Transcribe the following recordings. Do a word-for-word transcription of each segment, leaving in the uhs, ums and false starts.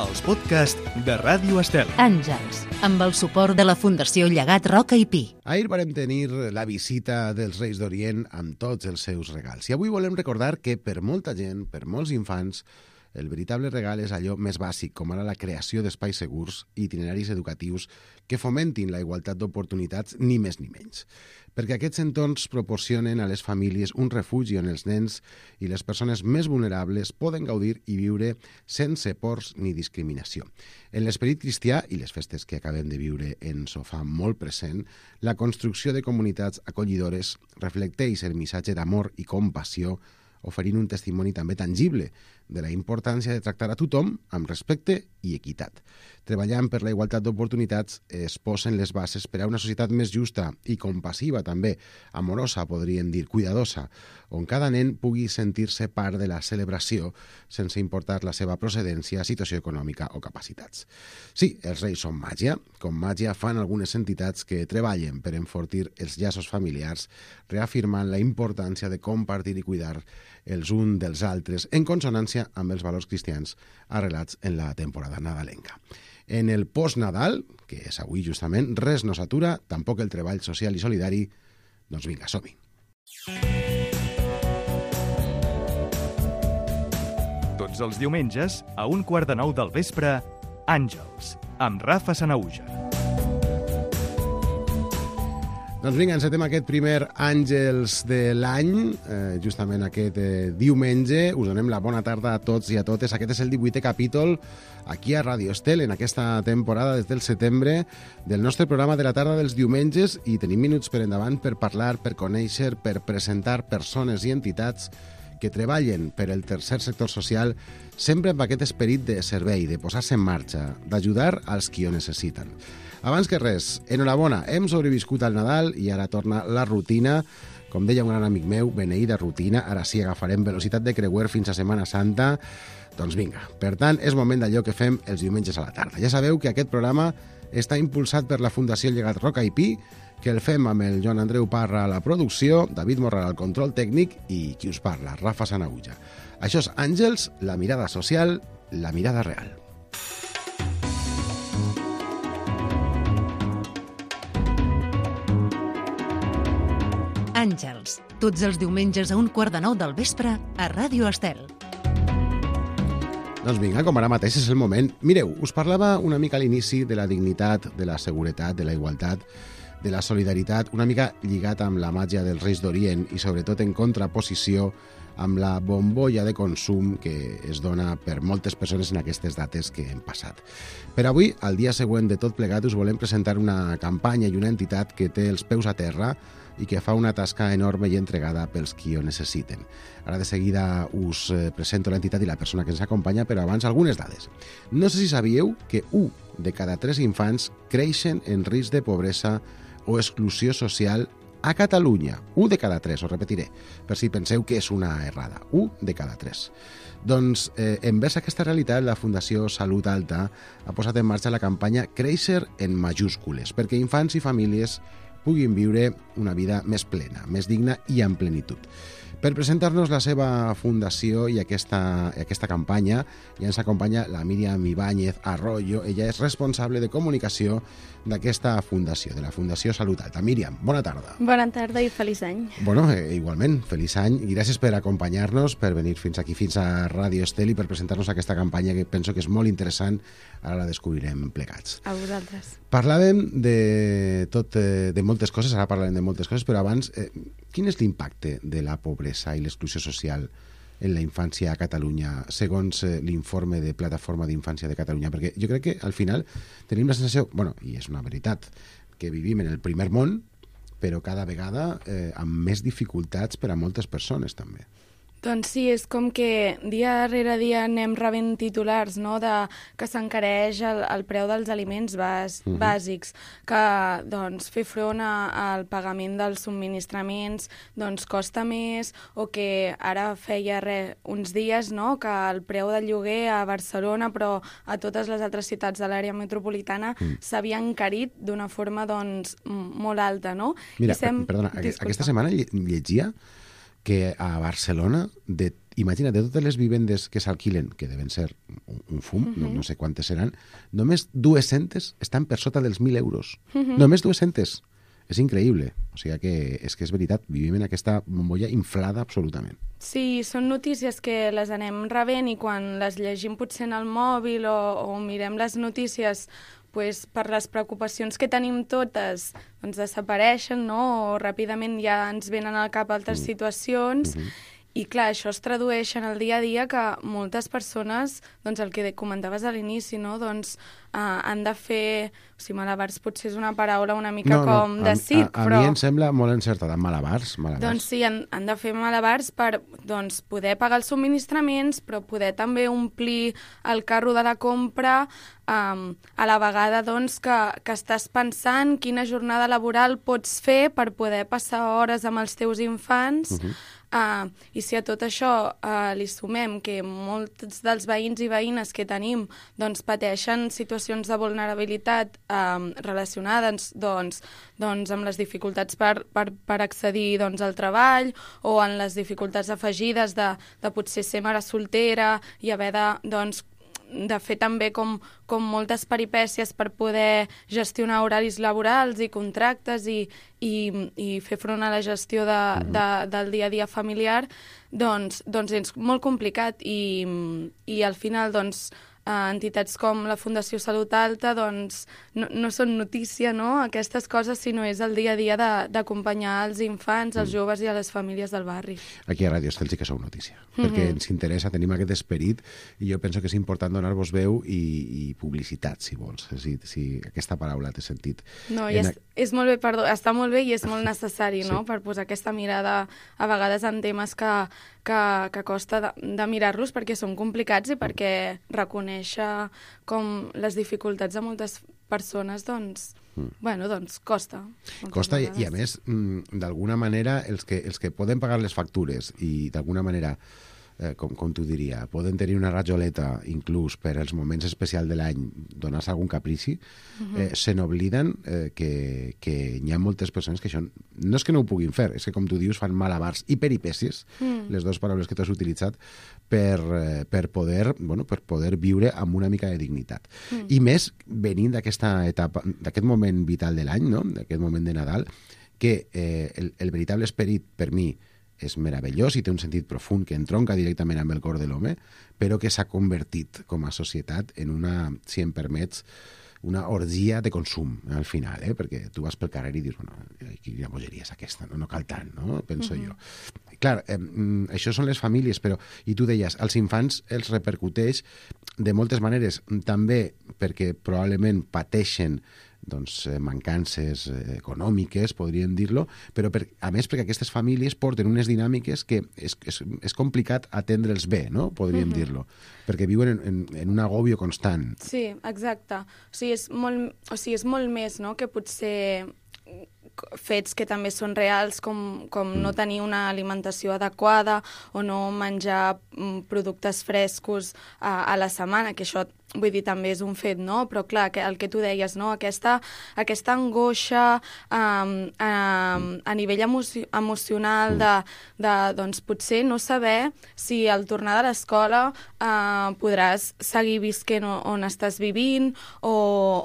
els podcasts de Ràdio Estel. Àngels, amb el suport de la Fundació Llegat Roca i Pi. Ahir varem tenir la visita dels Reis d'Orient amb tots els seus regals. I avui volem recordar que per molta gent, per molts infants, el veritable regal és allò més bàsic, com ara la creació d'espais segurs i itineraris educatius que fomentin la igualtat d'oportunitats, ni més ni menys. Perquè aquests entorns proporcionen a les famílies un refugi on els nens i les persones més vulnerables poden gaudir i viure sense pors ni discriminació. En l'esperit cristià i les festes que acabem de viure ens ho fa molt present, la construcció de comunitats acollidores reflecteix el missatge d'amor i compassió, oferint un testimoni també tangible de la importància de tractar a tothom amb respecte i equitat. Treballant per la igualtat d'oportunitats es posen les bases per a una societat més justa i compassiva també, amorosa, podríem dir, cuidadosa, on cada nen pugui sentir-se part de la celebració sense importar la seva procedència, situació econòmica o capacitats. Sí, els Reis són màgia, com màgia fan algunes entitats que treballen per enfortir els llaços familiars, reafirmant la importància de compartir i cuidar els uns dels altres, en consonància amb els valors cristians arrelats en la temporada nadalenca. En el post-Nadal, que és avui justament, res no s'atura, tampoc el treball social i solidari. Doncs vinga, som-hi. Tots els diumenges, a un quart de nou del vespre, Àngels, amb Rafa Sanaúja. Doncs vinga, encetem aquest primer Àngels de l'any, eh, justament aquest eh, diumenge. Us donem la bona tarda a tots i a totes. Aquest és el divuitè capítol aquí a Ràdio Estel, en aquesta temporada des del setembre, del nostre programa de la tarda dels diumenges, i tenim minuts per endavant per parlar, per conèixer, per presentar persones i entitats que treballen per el tercer sector social, sempre amb aquest esperit de servei, de posar-se en marxa, d'ajudar als qui ho necessiten. Abans que res, enhorabona, hem sobreviscut al Nadal i ara torna la rutina. Com deia un gran amic meu, beneïda rutina, ara sí agafarem velocitat de creuer fins a Setmana Santa. Doncs vinga, per tant, és moment d'allò que fem els diumenges a la tarda. Ja sabeu que aquest programa està impulsat per la Fundació Llegat Roca i Pi, que el fem amb el Joan Andreu Parra a la producció, David Morral al control tècnic i qui us parla, Rafa Sanaúja. Això és Àngels, la mirada social, la mirada real. Àngels, tots els diumenges a un quart de nou del vespre a Ràdio Estel. Doncs vinga, com ara mateix és el moment. Mireu, us parlava una mica a l'inici de la dignitat, de la seguretat, de la igualtat, de la solidaritat, una mica lligat amb la màgia dels Reis d'Orient i sobretot en contraposició amb la bombolla de consum que es dona per moltes persones en aquestes dates que hem passat. Per avui, al dia següent de tot plegat, us volem presentar una campanya i una entitat que té els peus a terra i que fa una tasca enorme i entregada pels qui ho necessiten. Ara de seguida us presento l'entitat i la persona que ens acompanya, però abans algunes dades. No sé si sabíeu que un de cada tres infants creixen en risc de pobresa o exclusió social a Catalunya. Un de cada tres, ho repetiré, per si penseu que és una errada. Un de cada tres. Doncs, eh, envers aquesta realitat, la Fundació Salut Alta ha posat en marxa la campanya Créixer en majúscules, perquè infants i famílies puguin viure una vida més plena, més digna i en plenitud. Per presentar-nos la seva fundació i aquesta, aquesta campanya ja ens acompanya la Míriam Ibáñez Arroyo. Ella és responsable de comunicació d'aquesta fundació, de la Fundació Salut Alta. Míriam, bona tarda. Bona tarda i feliç any. Bueno, eh, igualment, feliç any i gràcies per acompanyar-nos, per venir fins aquí, fins a Ràdio Estel i per presentar-nos aquesta campanya que penso que és molt interessant. Ara la descobrirem plegats. A vosaltres. Parlàvem de, tot, de moltes coses, ara parlarem de moltes coses, però abans, eh, quin és l'impacte de la pobresa i l'exclusió social en la infància a Catalunya, segons eh, l'informe de Plataforma d'Infància de Catalunya? Perquè jo crec que al final tenim la sensació, bueno, i és una veritat, que vivim en el primer món, però cada vegada eh, amb més dificultats per a moltes persones també. Doncs sí, és com que dia rere dia anem rebent titulars, no?, de que s'encareix el, el preu dels aliments bàs, uh-huh. bàsics, que doncs, fer front a, al pagament dels subministraments doncs, costa més, o que ara feia re, uns dies, no?, que el preu del lloguer a Barcelona, però a totes les altres ciutats de l'àrea metropolitana, uh-huh. s'havia encarit d'una forma doncs, molt alta, no? Mira, I sem... perdona, Disculpa. aquesta setmana llegia que a Barcelona de imagina, de totes les vivendes que s'alquilen, que deben ser un, un fum, uh -huh. no, no sé quantes seran, només dues-centes estan per sota dels mil euros. Uh -huh. Només dues-centes. És increïble. O sigui que és que és veritat, vivim en aquesta bombolla inflada absolutament. Sí, són notícies que les anem rebent i quan les llegim potser en el mòbil o, o mirem les notícies pues, per les preocupacions que tenim totes doncs desapareixen, no? O ràpidament ja ens venen al cap altres mm. situacions. Mm-hmm. I clar, això es tradueix en el dia a dia que moltes persones, doncs el que comentaves a l'inici, no? doncs uh, han de fer... O sigui, malabars potser és una paraula una mica no, com no, de a, circ, a, a però... A mi em sembla molt encertada, malabars, malabars. Doncs sí, han, han de fer malabars per doncs, poder pagar els subministraments, però poder també omplir el carro de la compra, um, a la vegada doncs, que, que estàs pensant quina jornada laboral pots fer per poder passar hores amb els teus infants. Uh-huh. Uh, I si a tot això uh, li sumem que molts dels veïns i veïnes que tenim doncs, pateixen situacions de vulnerabilitat um, relacionades doncs, doncs, amb les dificultats per, per, per accedir doncs, al treball o en les dificultats afegides de, de potser ser mare soltera i haver de... Doncs, de fer també com, com moltes peripècies per poder gestionar horaris laborals i contractes i, i, i fer front a la gestió de, mm-hmm. de, del dia a dia familiar, doncs, doncs és molt complicat i, i al final doncs, Uh, entitats com la Fundació Salut Alta doncs, no, no són notícia, no?, aquestes coses, sinó és el dia a dia d'acompanyar els infants, els mm. joves i a les famílies del barri. Aquí a Ràdio Estel sí que sou notícia, mm-hmm. perquè ens interessa, tenim aquest esperit i jo penso que és important donar-vos veu i, i publicitat, si vols, si, si aquesta paraula té sentit. No, i és, és molt bé, perdó, està molt bé i és molt necessari, sí. no?, per posar aquesta mirada a vegades en temes que, que, que costa de, de mirar-los perquè són complicats i perquè reconeixen com les dificultats de moltes persones, doncs, mm. bueno, doncs costa. Costa i, i a més, d'alguna manera, els que, els que poden pagar les factures i d'alguna manera, eh, com, com t'ho diria, poden tenir una rajoleta inclús per als moments especials de l'any, donar-se algun caprici, mm-hmm. eh, se n'obliden eh, que, que hi ha moltes persones que això no és que no ho puguin fer, és que, com tu dius, fan malabars i peripècies, mm. les dues paraules que tu has utilitzat, per, per, poder, bueno, per poder viure amb una mica de dignitat. Mm. I més venint d'aquesta etapa, d'aquest moment vital de l'any, no? D'aquest moment de Nadal, que eh, el, el veritable esperit, per mi, és meravellós i té un sentit profund que entronca directament amb el cor de l'home, però que s'ha convertit com a societat en una, si em permets, una orgia de consum, al final, eh? Perquè tu vas pel carrer i dius, bueno, quina bogeria és aquesta, no, no cal tant, no? Penso uh-huh. jo. Clar, eh, això són les famílies, però, i tu deies, als infants els repercuteix de moltes maneres, també perquè probablement pateixen doncs, mancances econòmiques, podríem dir-lo, però per, a més perquè aquestes famílies porten unes dinàmiques que és, és, és complicat atendre'ls bé, no? Podríem uh-huh. dir-lo, perquè viuen en, en, en un agòbio constant. Sí, exacte. O sigui, és molt, o sigui, és molt més, no?, que potser fets que també són reals, com, com mm. no tenir una alimentació adequada o no menjar productes frescos a, a la setmana, que això, vull dir, també és un fet, no? Però clar, que, el que tu deies, no? Aquesta, aquesta angoixa um, um, a nivell emoci emocional de, de, doncs, potser no saber si al tornar de l'escola uh, podràs seguir visquent on estàs vivint o,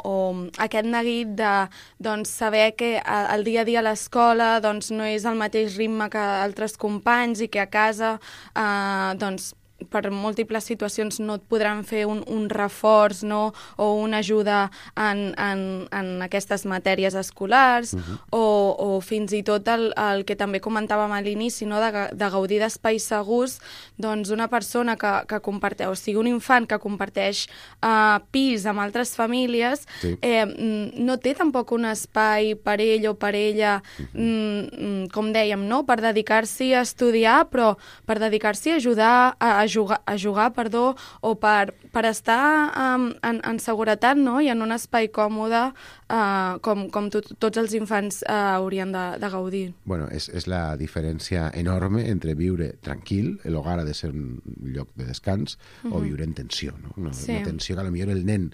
o aquest neguit de doncs, saber que el dia a dia a l'escola doncs, no és el mateix ritme que altres companys i que a casa eh, doncs, per múltiples situacions no et podran fer un, un reforç, no? O una ajuda en, en, en aquestes matèries escolars, uh-huh. o, o fins i tot el, el que també comentàvem a l'inici, no? de, de gaudir d'espais segurs, doncs una persona que, que comparteix, o sigui, un infant que comparteix uh, pis amb altres famílies, sí. eh, no té tampoc un espai per ell o per ella, uh-huh. mm, com dèiem, no? Per dedicar-s'hi a estudiar, però per dedicar-s'hi a ajudar a, a jugar, a jugar perdó, o per, per estar um, en, en seguretat, no? I en un espai còmode uh, com, com tot, tots els infants uh, haurien de, de gaudir. Bueno, és, és la diferència enorme entre viure tranquil, l'hogar ha de ser un lloc de descans, uh-huh. o viure en tensió, no? Una, sí. una tensió que potser el nen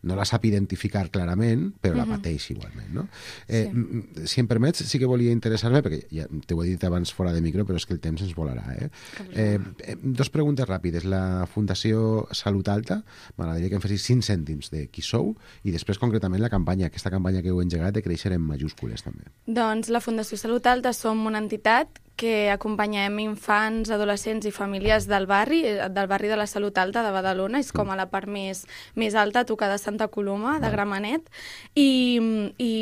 no la sap identificar clarament, però la pateix igualment, no? Eh, sí. Si em permets, sí que volia interessar-me, perquè ja t'ho he dit abans fora de micro, però és que el temps ens volarà, eh? eh, eh dos preguntes ràpides. La Fundació Salut Alta, m'agradaria que em fessis cinc cèntims de qui sou, i després concretament la campanya, aquesta campanya que heu engegat de créixer en majúscules, també. Doncs la Fundació Salut Alta som una entitat que acompanyem infants, adolescents i famílies del barri, del barri de la Salut Alta de Badalona, és com a la part més, més alta, a tocar de Santa Coloma, de Gramenet, i, i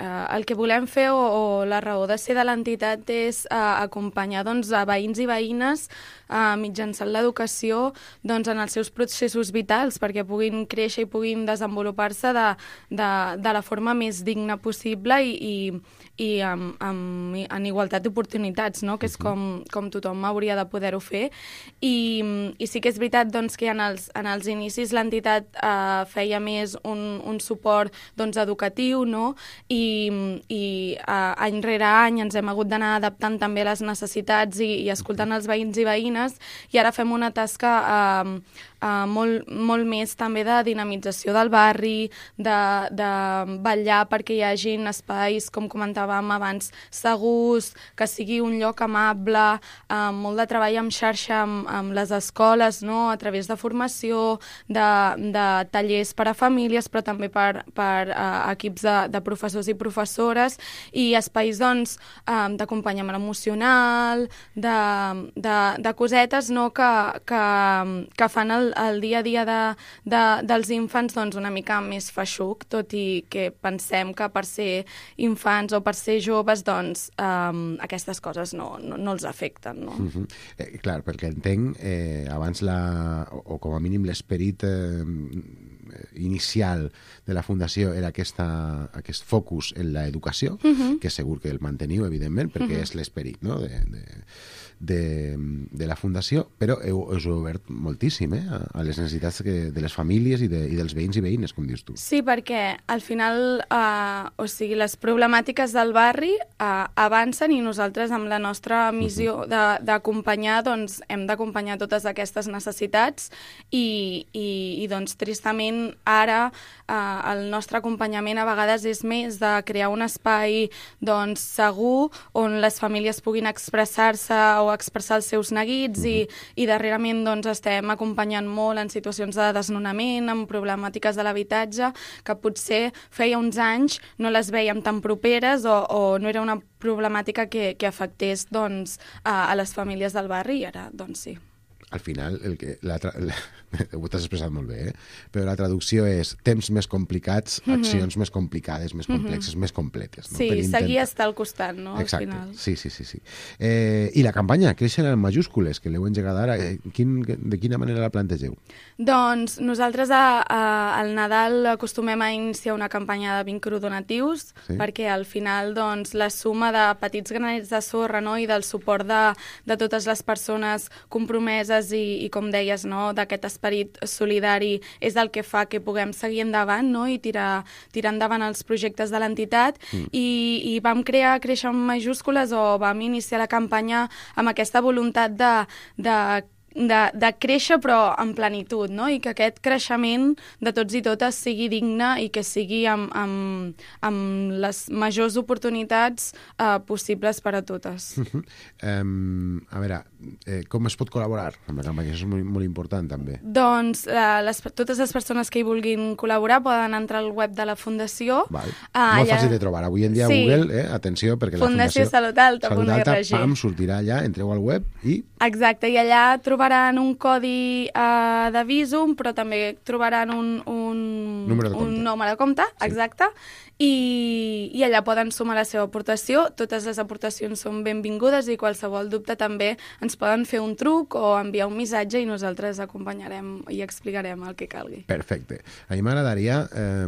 uh, el que volem fer, o, o la raó de ser de l'entitat, és uh, acompanyar doncs, a veïns i veïnes uh, mitjançant l'educació doncs, en els seus processos vitals, perquè puguin créixer i puguin desenvolupar-se de, de, de la forma més digna possible i, i, i amb, amb, en igualtat d'oportunitats, no? Que és com, com tothom hauria de poder-ho fer. I, I sí que és veritat doncs, que en els, en els inicis l'entitat eh, feia més un, un suport doncs, educatiu, no? I, i eh, any rere any ens hem hagut d'anar adaptant també a les necessitats i, i escoltant els veïns i veïnes, i ara fem una tasca eh, eh, molt, molt més també de dinamització del barri, de, de vetllar perquè hi hagin espais, com comentàvem abans, segurs, que sigui un lloc amable, amb molt de treball en xarxa amb, amb les escoles, no? A través de formació, de, de tallers per a famílies, però també per, per uh, equips de, de professors i professores, i espais doncs, um, d'acompanyament emocional, de, de, de cosetes no? que, que, que fan el, el dia a dia de, de, dels infants doncs, una mica més feixuc, tot i que pensem que per ser infants o per ser joves doncs, um, aquestes coses no, no, no els afecten, no? Uh -huh. eh, clar, perquè entenc, eh, abans la, o, o com a mínim l'esperit eh, inicial de la Fundació era aquesta, aquest focus en l'educació, uh -huh. que segur que el manteniu, evidentment, perquè uh -huh. és l'esperit, no?, de, de, de, de la Fundació, però heu, us heu obert moltíssim eh, a les necessitats que, de les famílies i, de, i dels veïns i veïnes, com dius tu. Sí, perquè al final, eh, o sigui, les problemàtiques del barri eh, avancen i nosaltres amb la nostra missió d'acompanyar, doncs hem d'acompanyar totes aquestes necessitats i, i, i doncs tristament ara eh, el nostre acompanyament a vegades és més de crear un espai doncs segur on les famílies puguin expressar-se o expressar els seus neguits uh -huh. i, i darrerament doncs, estem acompanyant molt en situacions de desnonament, en problemàtiques de l'habitatge, que potser feia uns anys no les vèiem tan properes o, o no era una problemàtica que, que afectés doncs, a, a les famílies del barri, i ara doncs sí. Al final, el que, la, la, ho t'has expressat molt bé, eh? Però la traducció és temps més complicats, mm -hmm. accions més complicades, més complexes, mm -hmm. més completes. No? Sí, intentar... seguir estar al costat, no? Exacte, al final. sí, sí, sí. sí. Eh, I la campanya, Créixer en majúscules, que l'heu engegat ara, eh, quin, de quina manera la plantegeu? Doncs nosaltres a, a, al Nadal acostumem a iniciar una campanya de microdonatius, sí? Perquè al final doncs, la suma de petits granets de sorra, no? I del suport de, de totes les persones compromeses I, i com deies, no, d'aquest esperit solidari és el que fa que puguem seguir endavant, no, i tirar, tirar endavant els projectes de l'entitat mm. I, i vam crear Créixer en majúscules o vam iniciar la campanya amb aquesta voluntat de, de De, de créixer però en plenitud, no? I que aquest creixement de tots i totes sigui digne i que sigui amb, amb, amb les majors oportunitats eh, possibles per a totes. Uh -huh. um, a veure, eh, com es pot col·laborar amb la campanya? Això és molt, molt important també. Doncs eh, les, totes les persones que hi vulguin col·laborar poden entrar al web de la Fundació. Val. Uh, molt allà... fàcil de trobar. Avui en dia sí. Google, eh, atenció, perquè la Fundació Salut Alta, Salut Alta pam, sortirà allà, entreu al web i... Exacte, i allà trobaran un codi uh, de Visum, però també trobaran un, un, número de compte, un número de compte sí. exacte, i, i allà poden sumar la seva aportació. Totes les aportacions són benvingudes i qualsevol dubte també ens poden fer un truc o enviar un missatge i nosaltres acompanyarem i explicarem el que calgui. Perfecte. A mi m'agradaria, eh,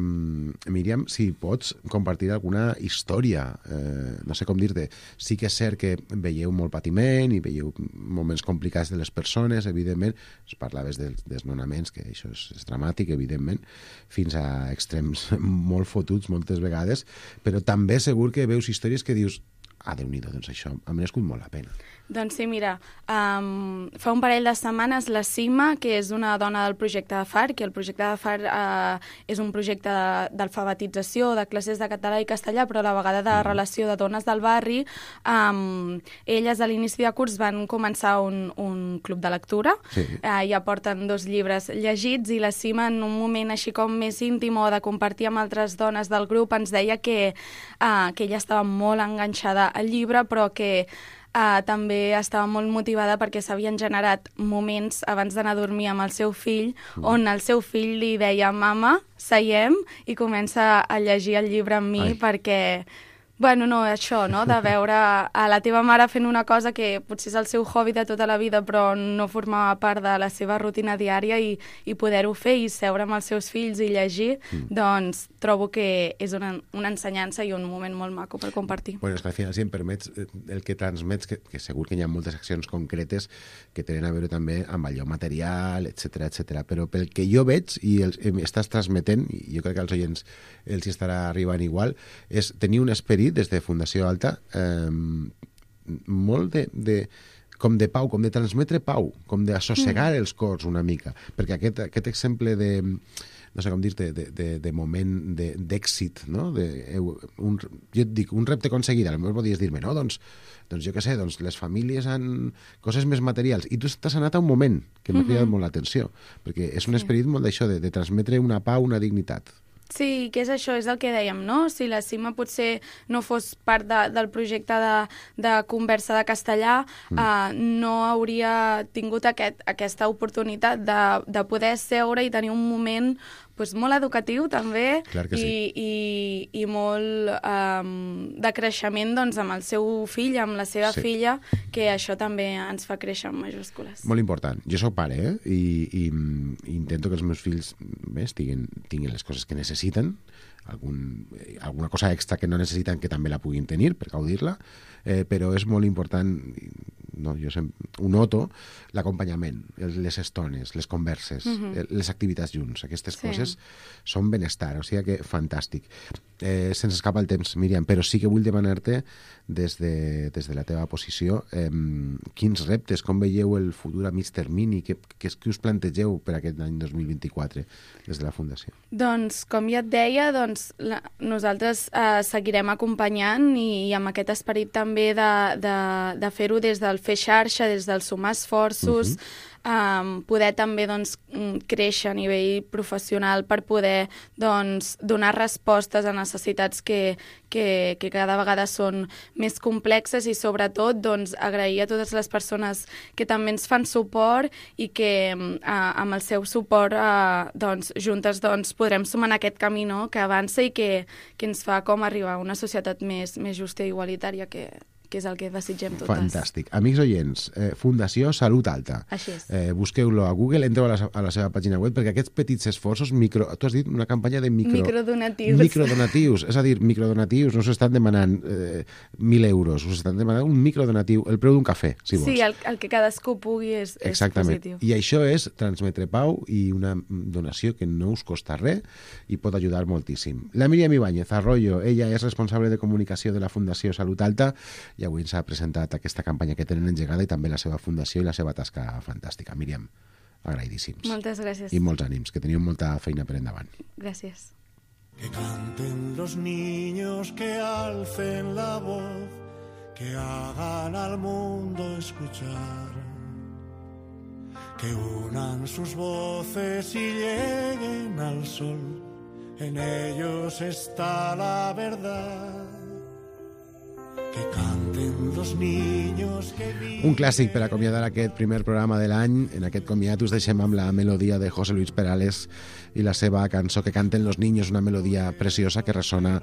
Míriam, si pots compartir alguna història, eh, no sé com dir-te. Sí que és cert que veieu molt patiment i veieu moments complicats de les persones, evidentment, es parlaves dels desnonaments, que això és, és dramàtic, evidentment, fins a extrems molt fotuts moltes vegades, però també segur que veus històries que dius ah, Déu-n'hi-do, doncs això ha merescut molt la pena. Doncs sí, mira, um, fa un parell de setmanes la Sima, que és una dona del projecte de F A R, que el projecte de F A R uh, és un projecte d'alfabetització, de classes de català i castellà, però a la vegada de relació de dones del barri. Um, elles a l'inici de curs van començar un, un club de lectura, sí. uh, ja porten dos llibres llegits, i la Sima, en un moment així com més íntim o de compartir amb altres dones del grup, ens deia que, uh, que ella estava molt enganxada al llibre, però que Uh, també estava molt motivada perquè s'havien generat moments abans d'anar a dormir amb el seu fill, mm. on el seu fill li deia: mama, seiem, i comença a llegir el llibre amb mi. Ai. Perquè... Bueno, no, això, no?, de veure a la teva mare fent una cosa que potser és el seu hobby de tota la vida, però no formava part de la seva rutina diària, i, i poder-ho fer i seure amb els seus fills i llegir, mm. doncs trobo que és una, una ensenyança i un moment molt maco per compartir. Bueno, és que al final, si em permets, el que transmets, que, que segur que hi ha moltes accions concretes que tenen a veure també amb allò material, etcètera, etcètera, però pel que jo veig i els, estàs transmetent, i jo crec que als oients els hi estarà arribant igual, és tenir un esperit des de Fundació Alta eh, molt de, de com de pau, com de transmetre pau, com d'assossegar mm. els cors una mica, perquè aquest, aquest exemple de, no sé com dir-te, de, de, de moment d'èxit, no? De, un, jo et dic, un repte aconseguit, potser podries dir-me, no, doncs, doncs jo què sé, doncs les famílies han coses més materials, i tu t'has anat a un moment que m'ha cridat mm-hmm. molt l'atenció, perquè és un esperit molt d'això, de, de transmetre una pau, una dignitat. Sí, que és això, és el que dèiem, no? Si la Sima potser no fos part de, del projecte de, de conversa de castellà, mm. eh, no hauria tingut aquest, aquesta oportunitat de, de poder seure i tenir un moment pues, molt educatiu també, sí. i, i, i molt um, de creixement doncs, amb el seu fill, amb la seva sí. filla, que això també ens fa créixer en majúscules. Molt important. Jo soc pare, eh? I, i, i intento que els meus fills bé, tinguin, tinguin les coses que necessiten, algun, alguna cosa extra que no necessiten que també la puguin tenir per gaudir-la, eh, però és molt important, no, jo sempre, ho noto, l'acompanyament, les estones, les converses, uh-huh. les activitats junts, aquestes sí. coses són benestar, o sigui que fantàstic. Eh, se'ns escapa el temps, Míriam, però sí que vull demanar-te des de, des de la teva posició eh, quins reptes, com veieu el futur a mig termini, què, què, què us plantegeu per aquest any dos mil vint-i-quatre des de la Fundació? Doncs, com ja et deia, doncs, la, nosaltres eh, seguirem acompanyant i, i amb aquest esperit també de, de, de fer-ho des del fer xarxa, des del sumar esforços, uh-huh. Um, poder també doncs, créixer a nivell professional per poder doncs, donar respostes a necessitats que, que, que cada vegada són més complexes, i sobretot doncs, agrair a totes les persones que també ens fan suport i que uh, amb el seu suport uh, doncs, juntes doncs, podrem sumar en aquest camí, no?, que avança i que, que ens fa com arribar a una societat més, més justa i igualitària, que que és el que desitgem totes. Fantàstic. Amics oients, eh, Fundació Salut Alta. Així és. Eh, busqueu-lo a Google, entreu a la, a la seva pàgina web, perquè aquests petits esforços, micro, tu has dit una campanya de micro... Microdonatius. Microdonatius, és a dir, microdonatius, no us estan demanant eh, mil euros, us estan demanant un microdonatiu, el preu d'un cafè, si vols. Sí, el, el que cadascú pugui és, és Exactament. positiu. I això és transmetre pau i una donació que no us costa res i pot ajudar moltíssim. La Míriam Ibáñez Arroyo, ella és responsable de comunicació de la Fundació Salut Alta i avui ens ha presentat aquesta campanya que tenen engegada i també la seva fundació i la seva tasca fantàstica. Míriam, agraïdíssims. Moltes gràcies. I molts ànims, que teniu molta feina per endavant. Gràcies. Que canten los niños, que alcen la voz, que hagan al mundo escuchar, que unan sus voces y lleguen al sol, en ellos está la verdad. Que canten los niños que viven... Un clàssic per acomiadar aquest primer programa de l'any. En aquest comiat us deixem amb la melodia de José Luis Perales i la seva cançó Que canten los niños, una melodia preciosa que ressona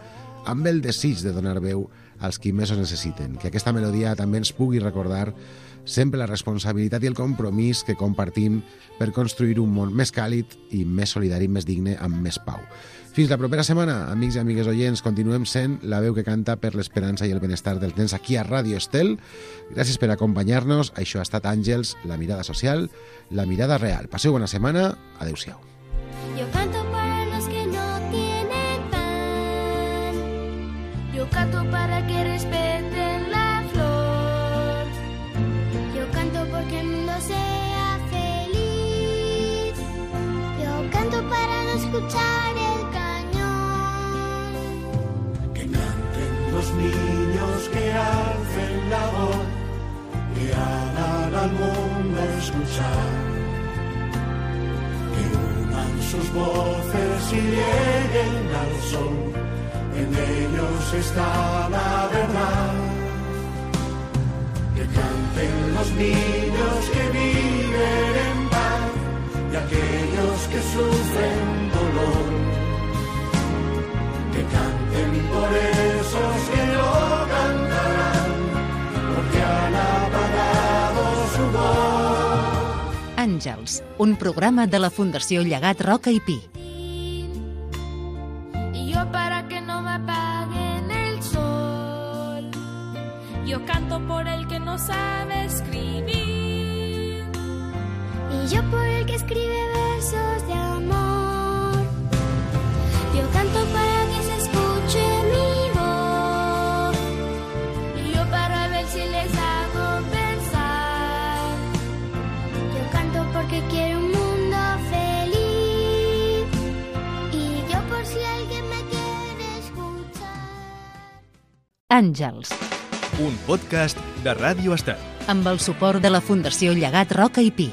amb el desig de donar veu als qui més ho necessiten. Que aquesta melodia també ens pugui recordar sempre la responsabilitat i el compromís que compartim per construir un món més càlid i més solidari, més digne, amb més pau. Fins la propera setmana, amics i amigues oients, continuem sent la veu que canta per l'esperança i el benestar dels nens aquí a Ràdio Estel. Gràcies per acompanyar-nos. Això ha estat Àngels, la mirada social, la mirada real. Passeu bona setmana. Adéu-siau. Yo canto para los que no tienen pan. Yo canto para que respeten la escuchar el cañón. Que canten los niños, que alcen la voz, que hagan al mundo escuchar. Que unan sus voces y lleguen al sol, en ellos está la verdad. Que canten los niños, que viven en paz, y aquellos que sufren dolor. Que canten por esos que no cantarán, porque han apagado su voz. Àngels, un programa de la Fundació Llegat Roca i Pi. Y yo para que no me apaguen el sol, yo canto por el que no sabe escribir, y yo por el que escribe versos de amor. Yo canto para que se escuche mi voz, y yo para ver si les hago pensar. Yo canto porque quiero un mundo feliz, y yo por si alguien me quiere escuchar. Àngels, Un podcast de Ràdio Estat. amb el suport de la Fundació Llegat Roca i Pi.